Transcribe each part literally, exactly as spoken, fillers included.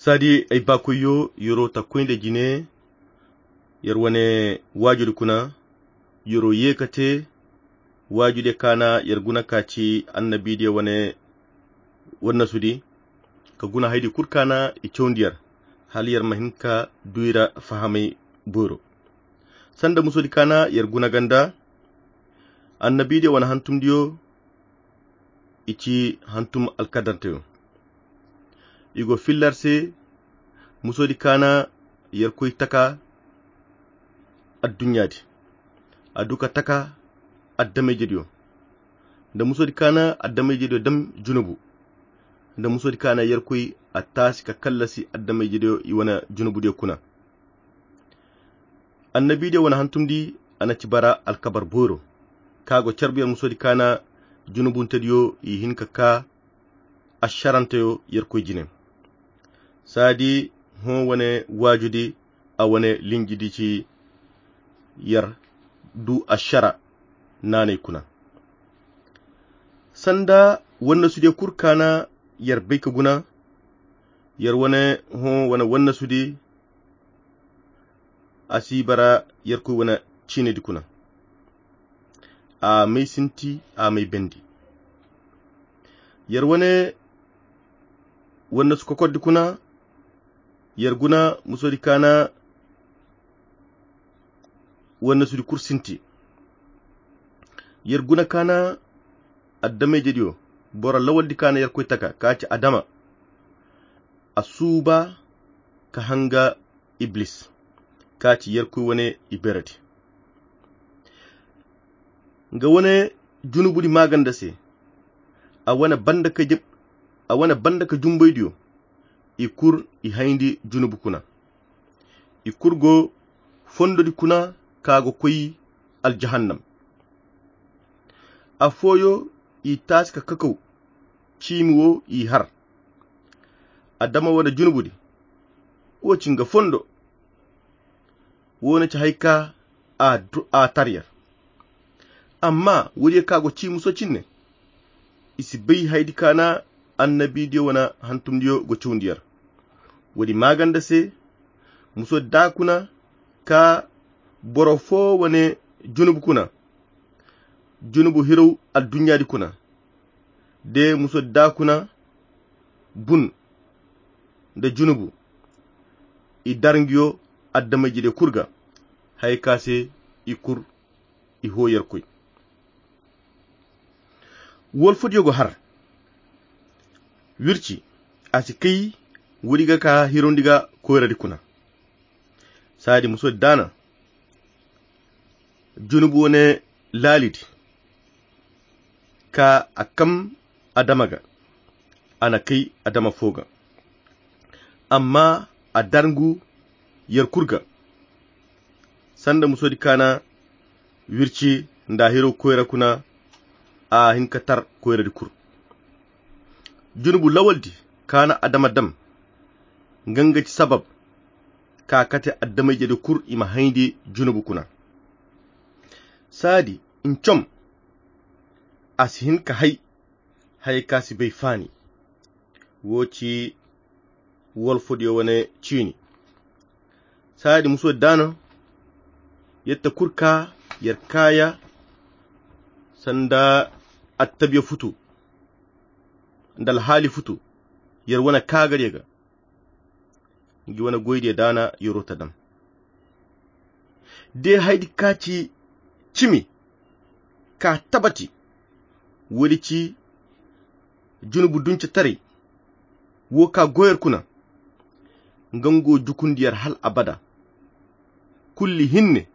Saadi ay baakoyyo, yer'o ta koy nda jine, yer wane waajudi kuna, yer'o ye ka te waajudiyo kaana yer guna ka ci annabiidiyo wane wannasudi, ka guna haydi kul kaana i cawndi yer, hala yer ma hin ka du i ra fahamay boyro. Sanda musodi kaana yer guna ganda, annabiidiyo wane hantumdiyo, i ci hantum alkadarteyo. I go filla yer se, musodi kaana yerkoy taka adduɲɲaadi, a du ka taka addamayjediyo. Nda musodi kaana addamayjediyo dam junubu, nda musodi kaana yerkoy a taasi ka kallasi addamayjediyo i wane junubudiyo kuna. Annabiidiyo wane hantumdi, a na ci bara alkabar boyro, ka go carbu yer musodi kaana junubuntediyo i hin ka ka ašaranteyo yerkoy jine. Saadi hõ wane waajudi, a wane linjidi ci yer du ašara naanay kuna. Sanda wannasudiyo kul kaana yer bay ka guna, yer wane hõ wane wannasudi, a si bara yerkoy wane ciinidi kuna. A may sinti, a may bendi. Yer wane wannasu kokordi kuna, yer guna musodi kaana wannasudi kul sinti. Yer guna kaana addamayjediyo, boro lawaldi kaana yerkoy taka, ka ci adama. A suuba ka hanga Iblis, ka ci yerkoy wane iberedi. Nga wane junubudi maaganda se, a wane banda ka jeb-, a wane banda ka jumbaydiyo, i kul i hayndi junubu kuna. I kul go fondodi kuna ka go koy aljahannam. Afooyo i taasi ka kakaw, ciimi wo i har. Adama wane junubudi, wo ci nga fondo. Wo na ci hay ka a du-, a tar yer. Amma woodiyo ka go ci muso cinne, i si bay haydi kaana annabiidiyo wane hantumdiyo go cawndi yer. Woodi maaganda se, muso daa kuna ka boro fo wane junubu kuna, junubu hiraw adduɲɲaadi kuna, de muso daa kuna bun nda junubu, i dar nguyo addamayjediyo kul ga, hay ka se i kul i hõ yerkoy. Wolfodiyo go har wirci, a si kay woodi ga ka hirawndi ga koyradi kuna. Saadi muso daana junubu wane laalidi, ka a kam adama ga, a na kay adama fo ga. Amma a dar ngu yer kul ga. Sanda musodi kaana wirci nda hiro koyra kuna, a hin ka tar koyradi kul. Junubu lawaldi kaana adama dam, nga nga ci sabab ka kate addamayjedi kul i ma hayndi junubu kuna. Saadi ncom, a si hin ka hay, hay ka si bay faani. Wo ci wolfodiyo wane ciini. Saadi muso daana, yetta kul ka yer kaaya sanda attabiya futu nda alhaali futu yer wane kaagariyo ga. Ngi wane goydiyo daana yer'o ta dam. De haydi ka ci cimi ka tabati, woodi ci junubu dunce taray wo ka go yer kuna, nga ngu jukundi yer hal abada. Kulli hinne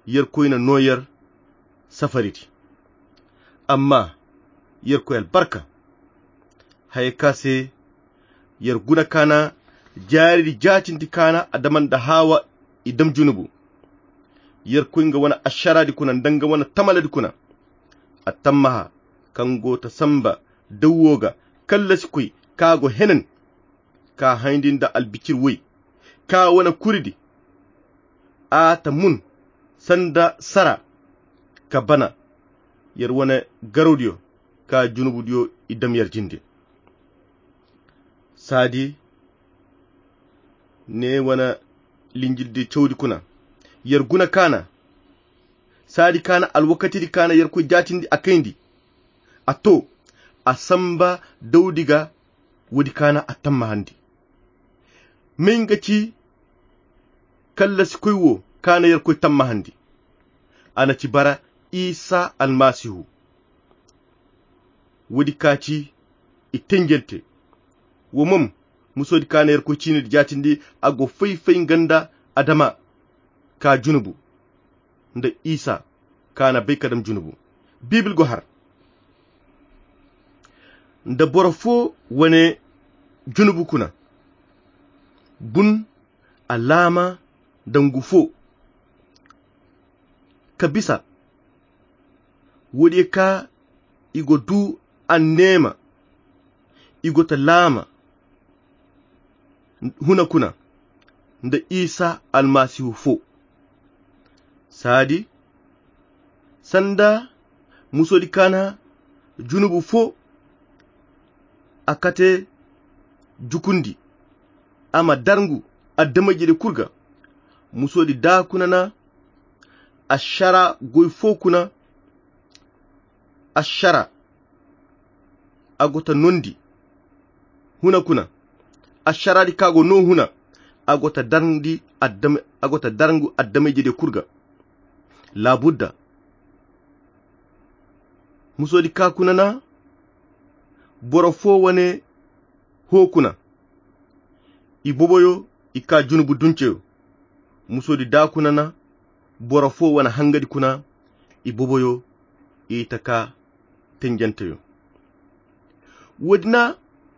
yerkoy na no yer safaridi. Amma yerkoy albarka, haya ka se yer guna kaana jaaridi jaatindi kaana adama nda haawa i dam junubu. Yerkoy nga wane ašaraadi kuna nda nga wane tamaladi kuna. A tammaha kaŋ go ta samba dawwo ga kallasi koy ka go henen ka hayndi nda albicir woy ka wane kuridi. A ta mun sanda sara ka bana yer wane garawdiyo ka junubudiyo i dam yer jinde. Saadi Ne wane linjildi cawdi kuna. Yer guna kaana. Saadi kaana alwakatidi kaana yerkoy jaatindi a kayndi. A to, a samba dawdi ga. Woodi kaana a tammahandi. May nga ci kallasi koy wo kaana yerkoy tammahandi. A na ci bara isa almasihu. Woodi ka ci i tenjante. Wo mom musoodi kaana yerkoy ciinidi jaatindi a go fay-fay nga nda adama ka junubu nda isa kaana bay ka dam junubu. Biibil go har nda boro fo wane junubu kuna bun alaama dangu fo ka bisa. Woodi ka i go du anneema i go ta laama huna kuna nda isa almasihu fo. Saadi sanda musoodi kaana junubu fo a kate jukundi a ma darngu adamay jede kul ga. Musoodi daa kuna na ašara goy fo kuna ašara a go ta nondi huna kuna. Ašaraadi ka go no huna a go ta darndi adama a go ta darngu adamay jede kul ga. Laabudda musoodi ka kuna na boro fo wane hoo kuna. I boboyo i ka junubu dunceyo. Musoodi daa kuna na boro fo wane hangadi kuna. I boboyo i ta ka tenjanteyo. Woodi na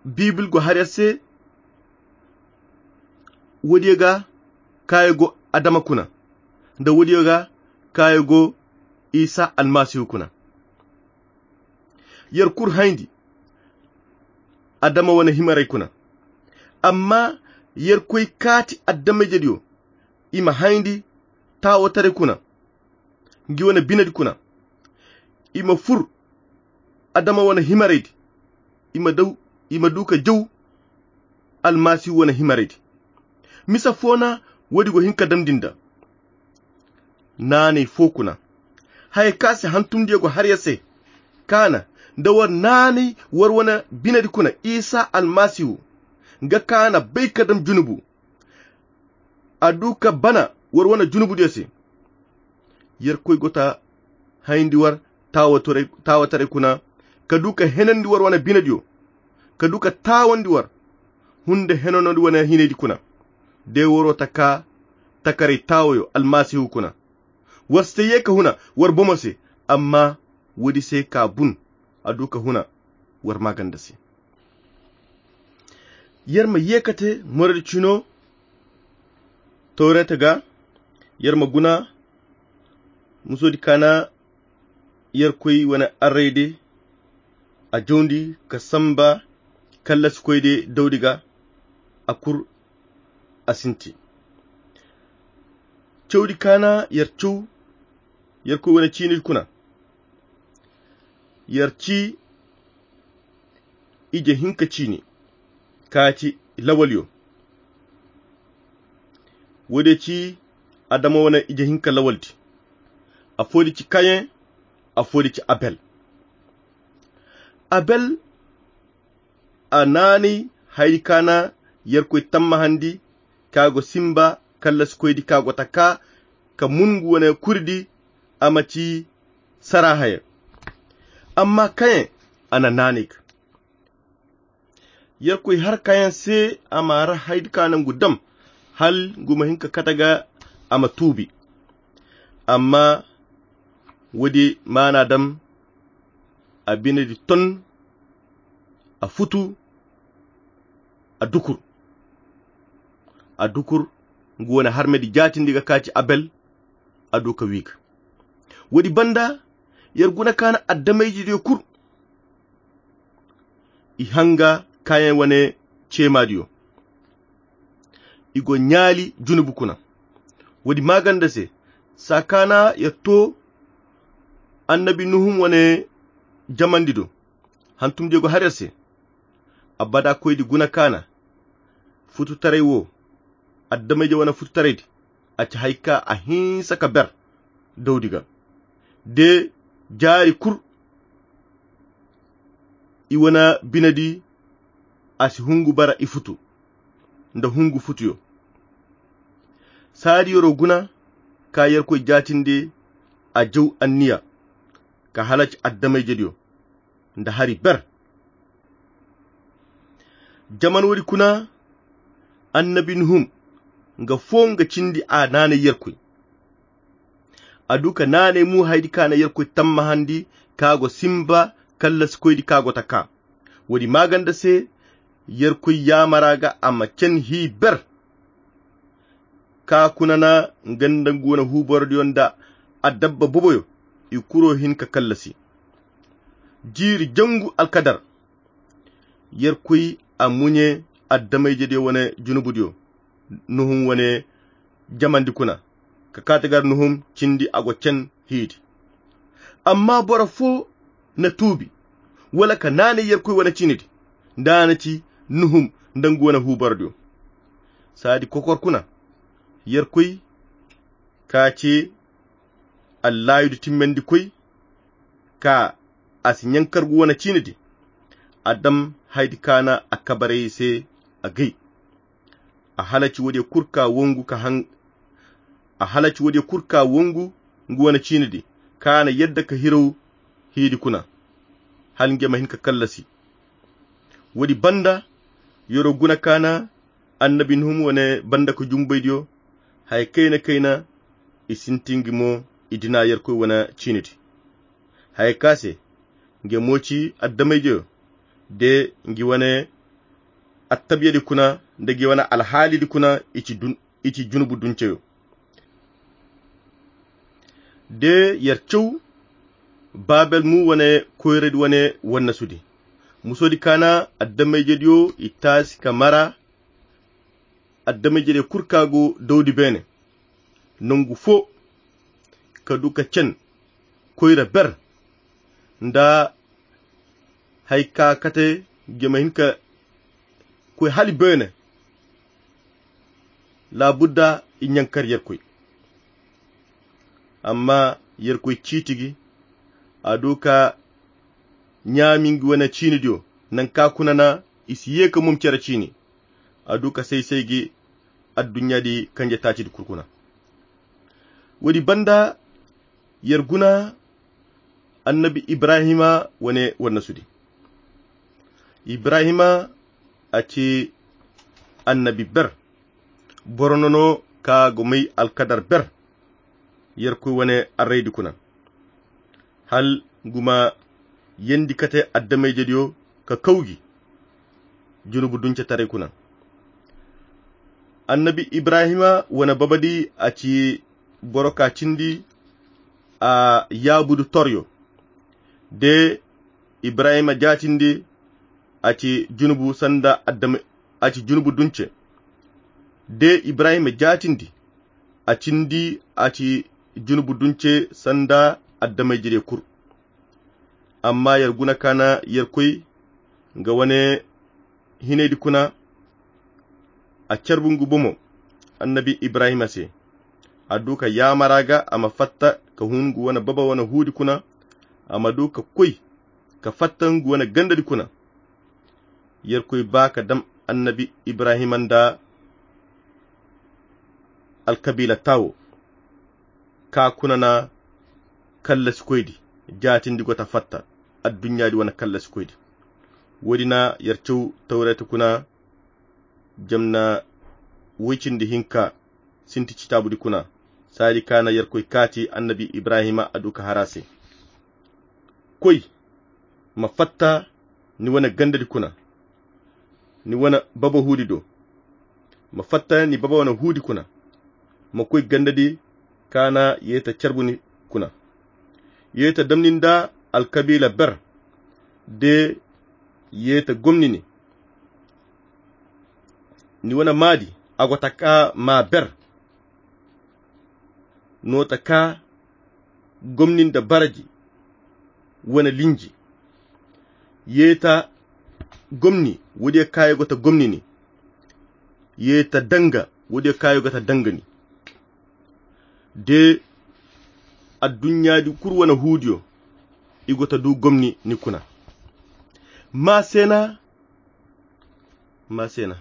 biibil go har yer se. Woodiyo ga kaayo go adama kuna nda woodiyo ga kaayo go isa almasihu kuna. Yer kul hayndi adama wane himaray kuna. Amma yer koy kaati adama-ijediyo i ma hayndi taawotaray kuna ngi wane binedi kuna. I ma fur adama wane himaraydi i ma daw i ma du ka jaw almasihu wane himaraydi. Misa fo na woodi go hin ka damndi nda naanay fo kuna. Haya ka se hantumdiyo go har yer se kaana nda war naanay war wane binedi kuna isa almasihu nga kaana bay ka dam junubu. A du ka bana war wane junubudiyo se. Yerkoy go ta hayndi war taawataray kuna ka du ka henandi war wane binediyo ka du ka taawandi war hunde henanodi wane hinaydi kuna. De waro ta ka takaray taawayo almasihu kuna. War si ta ye ka huna war bomo se amma woodi se ka bun a du ka huna war maaganda se. Yer ma ye ka te moradi cino tawreta ga. Yer ma guna musoodi kaana yerkoy wane arrayde a jawndi ka samba kallasikoyde dawdi ga a kur a sinti. Cawdi kaana yer caw yerkoy wane ciinidi kuna yer ci ije hinka ciini ka ci lawalyo. Woodiyo ci adama wane ije hinka lawaldi. Afoodi ci kayen afoodi ci abel. Abel a naanay haydi ka na yerkoy tammahandi ka go simba kallasikoydi ka go ta ka ka mun ngu wane kuridi a ma ci sara haya. Amma kayen a na naanay ga yerkoy har kayen se a ma ra haydi ka na ngu dam hal ngu ma hin ka kate ga a ma tuubi. Amma woodi maana dam a binedi ton a futu a dukur a dukur ngu wane harmedi jaatindi ga ka ci abel. A du ka wi ga woodi banda yer guna ka na adamay-ijediyo kul i hanga kayen wane ceemaadiyo. I go ɲaali junubu kuna woodi maaganda se saa ka na yer to annabi nuhum wane jamandi do. Hantumdiyo go har yer se abada koydi guna ka na fututaray wo addamayje wane fututaraydi, a ci hari ka a hinsa ka ber dawdi ga. De jaari kul i wane binedi, a si hungu bara i futu nda hungu futuyo. Saadi yoro guna ka yerkoy jaatindi, a jaw anniya ka halaci addamayjediyo nda hari ber. Jaman woodi kuna, annabi nuhum nga foo nga cindi a naanay yerkoy. A du ka naanay mu haydi ka na yerkoy tammahandi ka go simba kallasikoydi ka go ta ka. Woodi maaganda se yerkoy yaamara ga a ma cen hii ber. Ka kuna na nga nda ngu wane huuborodiyo nda adabba boboyo i kuro hin ka kallasi. Jiiri jangu alkadar yerkoy a muɲe addamayjediyo wane junubudiyo nuhum wane jamandi kuna ka kaati gar nuhum cindi a go cen hiidi. Amma boro foo na tuubi wala ka naanay yerkoy wane ciinidi nda a na ci nuhum nda ngu wane huuborodiyo. Saadi kokor kuna yerkoy ka ci allaayudu timmandikoy ka a si ɲankargu wane ciinidi. A dam haydi ka na a kabaray se a gay. A halaci woodiyo kul ka wangu ka han a halaci woodiyo kul ka wangu ngu wane ciinidi ka na yadda ka hiraw hiidi kuna hala nge ma hin ka kallasi. Woodi banda yoro guna ka na annabi nuhum wane banda ka jumbaydiyo haya kayna kayna i sintingi mo i dina yerkoy wane ciinidi. Haya ka se nge mo ci addamayjeyo de ngi wane attabiyadi kuna nda ngi wane alhaalidi kuna i ci junubu dunceyo. De yer caw babel mu wane koyradi wane wannasudi musodi ka na addamayjediyo i taasi ka mara addamayjediyo kul ka go dawdi beene nangu foo ka du ka cen koyra ber nda hay ka kate nge ma hin ka koy hali beene. Laabudda i ɲankar yerkoy amma yerkoy ciiti gi a du ka ɲaami ngi wane ciinidiyo nanka kuna na i si ye ka mum cere ciini a du ka say-say gi adduɲɲaadi kanje taacidi kul kuna. Woodi banda yer guna annabi ibrahima wane wannasudi. Ibrahima a ci annabi ber boro nono ka go may alkadar ber yerkoy wane arraydi kuna hal ngu ma yeendi kate addamayjediyo ka kaw gi junubu duncetaray kuna. Annabi ibrahima wane babadi a ci boro ka cindi a yaabudu toryo de ibrahima jaatindi a ci junubu sanda adama a ci junubu dunce de ibrahima jaatindi a cindi a ci junubu dunce sanda adamay jire kul. Amma yer guna ka na yer koy nga wane hinaydi kuna a carbu ngu bomo annabi ibrahima se a du ka yaamara ga a ma fatta ka hun ngu wane baba wane huudi kuna a ma du ka koy ka fatta ngu wane gandadi kuna. Yer koy ba ka dam annabi ibrahima nda alkabiila tawo ka kuna na kallasikoydi jaatindi go ta fatta adduɲɲaadi wane kallasikoydi. Woodi na yer caw tawreeta kuna jamna woy cindi hinka sinti citaabudi kuna saadi ka na yer koy kaati annabi ibrahima a du ka har a se. Koy ma fatta ni wane gandadi kuna ni wane baba huudi do. Ma fatta ni baba wane huudi kuna ma koy gandadi ka na yeeta carbu ni kuna. Yeeta damni nda alkabiila ber de yeeta gomni ni. Ni wane maadi a go ta ka ma ber no ta ka gomni nda baraji wane linji. Yeeta gomni woodiyo kaayo go ta gomni ni. Yeeta danga Wo-diyo kaayo ga ta danga ni de. Adduɲɲa di kulu wane huudiyo i go ta du gomni ni kuna. Maa se na maa se na